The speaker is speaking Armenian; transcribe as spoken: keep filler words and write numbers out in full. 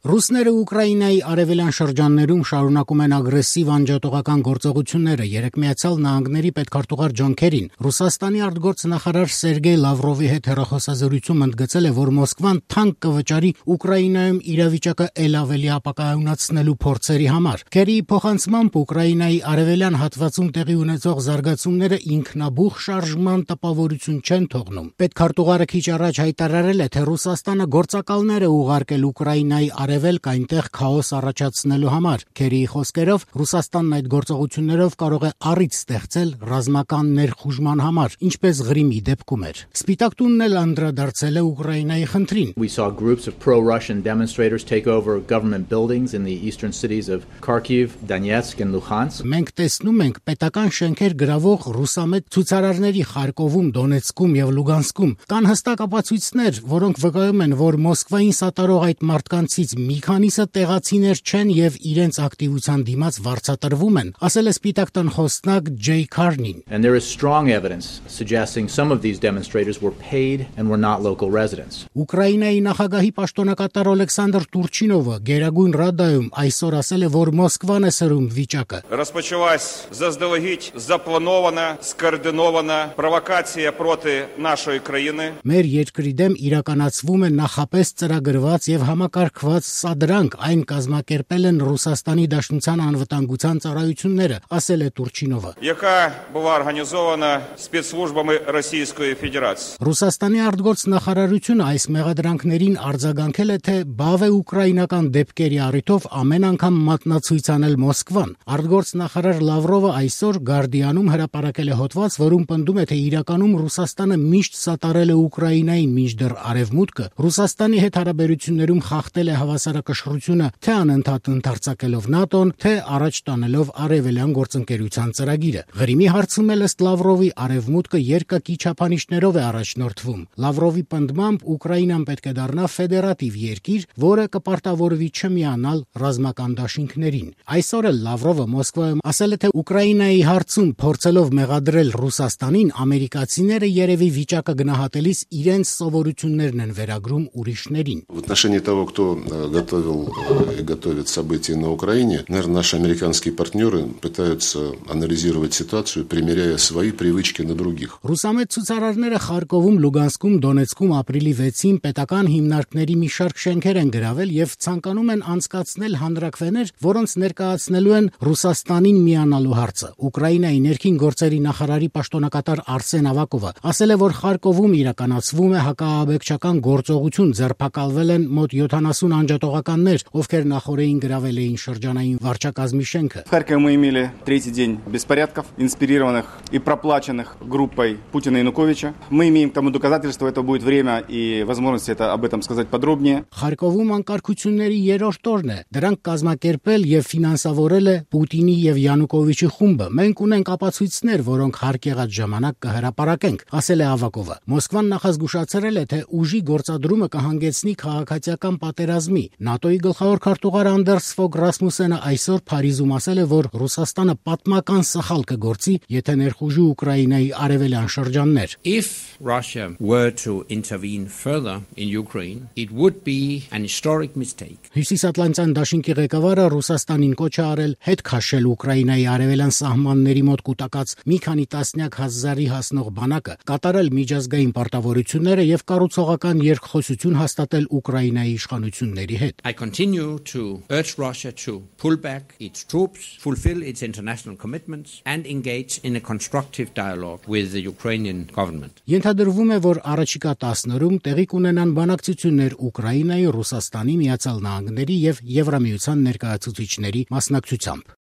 Ռուսները Ուկրաինայի արևելյան շրջաններում շարունակում են ագրեսիվ անջատողական գործողությունները։ Երեկ Միացյալ Նահանգների պետքարտուղար Ջոն Քերին Ռուսաստանի արտգործնախարար Սերգեյ Լավրովի հետ հեռախոսազրույցում ընդգծել է, որ Մոսկվան թանկ կվճարի Ուկրաինայում իրավիճակը ել ավելի ապակայունացնելու փորձերի համար։ Քերիի փոխանցմամբ Ուկրաինայի արևելյան հատվածում տեղի ունեցող զարգացումները ինքնաբուխ շարժման տպավորություն չեն թողնում։ Պետքարտուղարը քիչ առաջ հայտարարել է, թե Ռուսաստանը գործակալներ է ուղարկել Ուկրաինայի արևելք այնտեղ քաոս առաջացնելու համար։ Քերիի խոսքերով Ռուսաստանն այդ գործողություններով կարող է առիթ ստեղծել ռազմական ներխուժման համար, ինչպես Ղրիմի դեպքում էր։ Սպիտակ տունն էլ անդրադարձել է Ուկրաինայի խնդրին։ We saw groups of pro-Russian demonstrators take over government buildings in the eastern cities of Kharkiv, Donetsk and Luhansk. Մենք տեսնում ենք պետական շենքեր գրավող ռուսամետ ցուցարարների Խարկովում, Դոնեցկում եւ Լուգանսկում։ Կան հստակ ապացույցներ, որոնք վկայում են, որ Մոսկվային սատարող այդ մարդկանցից մի քանիսը տեղացիներ չեն եւ իրենց ակտիվության դիմաց վարձատրվում են, ասել է Սպիտակ տան խոսնակ Ջեյ Քարնին։ And there is strong evidence suggesting some of these demonstrators were paid and were not local residents. Ուկրաինայի նախագահի պաշտոնակատար Օլեքսանդր Տուրչինովը Գերագույն Ռադայում այսօր ասել է, որ Մոսկվան է սրում վիճակը։ Розпочалась заздалегідь запланована, скоординована провокація проти нашої країни. Մեր երկրի դեմ իրականացվում է նախապես ծրագրված եւ համակարգված սադրանք, այն կազմակերպել են Ռուսաստանի Դաշնության անվտանգության ծառայությունները, ասել է Տուրչինովը։ Яка була організована спецслужбами Російської Федерації. Ռուսաստանի արտգործնախարարությունը այս մեղադրանքներին արձագանքել է, թե բավ է ուկրաինական դեպքերի առիթով ամեն անգամ մատնացույց անել Մոսկվան։ Արտգործնախարար Լավրովը այսօր Գարդիանում հրապարակել է հոդված, որում պնդում է, թե իրականում Ռուսաստանը միշտ սատարել է Ուկրաինային, մինչդեռ Արևմուտքը Ռուսաստանի հետ հարաբերություններում խախտել է հավասարակշռությունը, թե անընդհատ ընդարձակելով ՆԱՏՕ-ն, թե առաջ տանելով արևելյան գործընկերության ծրագիրը։ Ղրիմի հարցում էլ ըստ Լավրովի Արևմուտքը երկակի չափանիշներով է առաջնորդվում։ Լավրովի պնդմամբ Ուկրաինան պետք է դառնա ֆեդերատիվ երկիր, որը կպարտավորվի չմիանալ ռազմական դաշինքներին։ Այսօր էլ Լավրովը Մոսկվայում ասել է, թե Ուկրաինայի հարցում փորձելով մեղադրել Ռուսաստանին, ամերիկացիները երևի վիճակը գնահատելիս իրենց սովորություններն են վերագրում ուրիշներին։ В отношении того, кто готовил и готовит события на Украине, наверное, наши американские партнеры пытаются анализировать ситуацию, примеряя свои привычки на других. Ռուսամետ ցուցարարները Խարկովում, Լուգանսկում, Դոնեցկում ապրիլի վեցին պետական հիմնարկների մի շարք շենքեր են գրավել եւ ցանկանում են անցկացնել հանրաքվեներ, որոնց ներկայացնելու են Ռուսաստանին միանալու հարցը։ Ուկրաինայի ներքին գործերի նախարարի պաշտոնակատար Արսեն Ավակովը ասել է, որ Խարկովում իրականացվում է հակաաբեկչական գործողություն, ձերբակալվել են մոտ յոթանասուն անջատողականներ, ովքեր նախորդին գրավել էին շրջանային վարչակազմի շենքը։ В Харькове мы имели третий день беспорядков, инспирированных и проплаченных группой Путина и Януковича. Мы имеем тому доказательства, это будет время и возможность это об этом сказать подробнее. Խարկովում անկարգությունների երրորդ օրն է։ Դրանք կազմակերպել եւ ֆինանսավորել է Պուտինի եւ Յանուկովիչի խումբը։ Մենք ունենք ապացույցներ, որոնք հարկ եղած ժամանակ կհրապարակենք, ասել է Ավակովը։ Մոսկվան նախազգուշացրել է, թե ուժի գործադրումը կհանգեցնի քաղաքացիական պատերազմի։ ՆԱՏՕ-ի գլխավոր քարտուղար Անդերս Ֆոգ Ռասմուսենը այսօր Փարիզում ասել է, որ Ռուսաստանը պատմական սխալ կգործի, եթե ներխուժի Ուկրաինայի արևելյան շրջաններ։ If Russia were to intervene further in Ukraine, it would be an historic mistake. Հյուսիսատլանտյան դաշինքի ղեկավարը Ռուսաստանին կոչ է արել հետ քաշել Ուկրաինայի արևելյան սահմանների մոտ կուտակած մի քանի տասնյակ հազարի հասնող բանակը, կատարել միջազգային պարտավորությունները եւ կառուցողական երկխոսություն հաստատել Ուկրաինայի իշխանությունների հետ։ I continue to urge Russia to pull back its troops, fulfill its international commitments and engage in a constructive dialogue with the Ukrainian government. Ենթադրվում է, որ առաջիկա տասն օրում տեղի կունենան բանակցություններ Ուկրաինայի, Ռուսաստանի, Միացյալ Նահանգների եւ Եվրամիության ներկայացուցիչների մասնակցությամբ։